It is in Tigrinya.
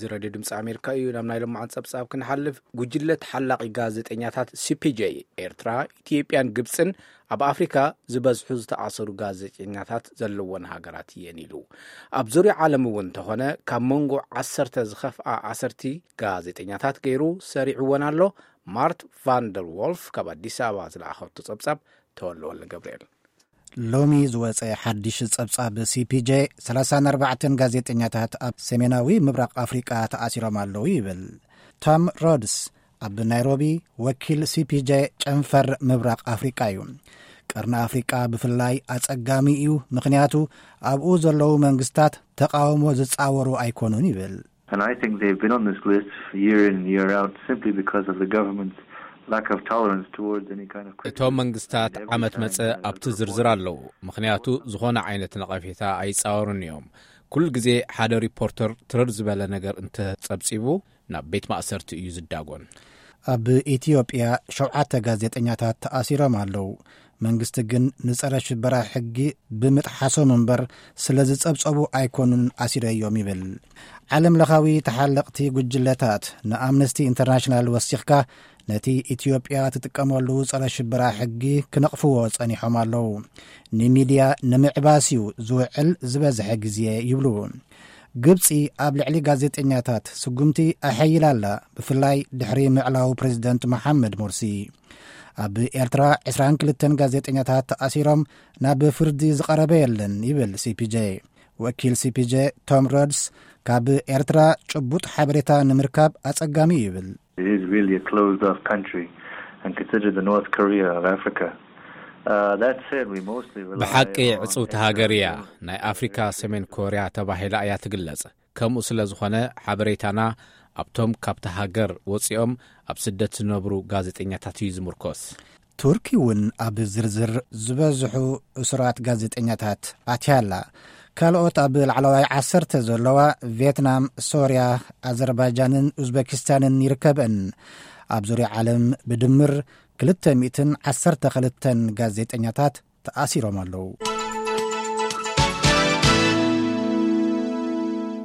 እዚ ሬድዮ ድምፂ ኣሜሪካ እዩ። ናብ ናይ ሎማዓን ፀብፃብ ክንሓልፍ፣ ጉጅለ ተሓላቒ ጋዜጠኛታት ሲ ፒ ጄ ኤርትራ፣ ኢትዮጵያን ግብፅን ኣብ ኣፍሪካ ዝበዝሑ ዝተኣሰሩ ጋዜጠኛታት ዘለወን ሃገራት እየን ኢሉ። ኣብ ዙርያ ዓለም እውን እንተኾነ ካብ መንጎ ዓሰርተ ዝኸፍኣ ኣሰርቲ ጋዜጠኛታት ገይሩ ሰሪዕወን ኣሎ። ማርት ቫንደር ዎልፍ ካብ ኣዲስ ኣበባ ዝለኣኸቶ ጸብጻብ ተወልወለ ገብርኤል። ሎሚ ዝወጸ ሓድሽ ጸብጻብ ሲ ፒ ጄ፣ ሰላሳን ኣርባዕተን ጋዜጠኛታት ኣብ ሰሜናዊ ምብራቕ ኣፍሪቃ ተኣሲሮም ኣለዉ ይብል። ቶም ሮድስ ኣብ ናይሮቢ ወኪል ሲ ፒ ጄ ጨንፈር ምብራቕ ኣፍሪቃ እዩ። ቀርኒ ኣፍሪቃ ብፍላይ ኣጸጋሚ እዩ፣ ምኽንያቱ ኣብኡ ዘለዉ መንግስታት ተቃውሞ ዝጻወሩ ኣይኮኑን ይብል። And I think they've been on this list year in and year out simply because of the government's lack of tolerance towards any kind of criticism. እቶም መንግስታት ዓመት መጸ ኣብቲ ዝርዝር ኣለዉ፣ ምኽንያቱ ዝኾነ ዓይነት ነቐፌታ ኣይጻወሩን እዮም። ኩሉ ግዜ ሓደ ሪፖርተር ትርር ዝበለ ነገር እንተጸብጺቡ ናብ ቤት ማእሰርቲ እዩ ዝዳጎን። ኣብ ኢትዮጵያ ሸውዓተ ጋዜጠኛታት ተኣሲሮም ኣለዉ። መንግስቲ ግን ንጸረ ሽበራ ሕጊ ብምጥሓሶም እምበር ስለ ዝጸብጸቡ ኣይኮኑን ኣሲረዮም ይብል። ዓለም ለኻዊ ተሓለቕቲ ጉጅለታት ንኣምነስቲ ኢንተርናሽናል ወሲኽካ ነቲ ኢትዮጵያ ትጥቀመሉ ጸረ ሽበራ ሕጊ ክነቕፍዎ ጸኒሖም ኣለዉ። ንሚድያ ንምዕባስ እዩ ዝውዕል ዝበዝሐ ግዜ ይብሉ። ግብጺ ኣብ ልዕሊ ጋዜጠኛታት ስጉምቲ ኣሐይላ ኣላ፣ ብፍላይ ድሕሪ ምዕላው ፕሬዚደንት መሓመድ ሞርሲ። ኣብ ኤርትራ ዕስራን ክልተን ጋዜጠኛታት ተኣሲሮም ናብ ፍርዲ ዝቐረበ የለን ይብል ሲ ፒ ጄ። ወኪል ሲ ፒ ጄ ቶም ሮድስ ካብ ኤርትራ ጭቡጥ ሓበሬታ ንምርካብ ኣጸጋሚ እዩ ይብል። It is really a closed off country and considered the North Korea of Africa. Uh, that said, we mostly rely ብሓቂ on ዕጽውቲ ሃገር እያ። ናይ ኣፍሪካ ሰሜን ኮርያ ተባሂላ እያ ትግለጽ። ከምኡ ስለ ዝኾነ ሓበሬታና ኣብቶም ካብቲ ሃገር ወጺኦም ኣብ ስደት ዝነብሩ ጋዜጠኛታት እዩ ዝምርኮስ። ቱርኪ እውን ኣብ ዝርዝር ዝበዝሑ እሱራት ጋዜጠኛታት ኣትያ ኣላ። ካልኦት ኣብ ላዕለዋይ ዓሰርተ ዘለዋ ቪየትናም፣ ሶርያ፣ ኣዘርባይጃንን ኡዝቤኪስታንን ይርከበን። ኣብ ዙርያ ዓለም ብድምር ክልተ ሚእትን ዓሰርተ ክልተን ጋዜጠኛታት ተኣሲሮም ኣለዉ።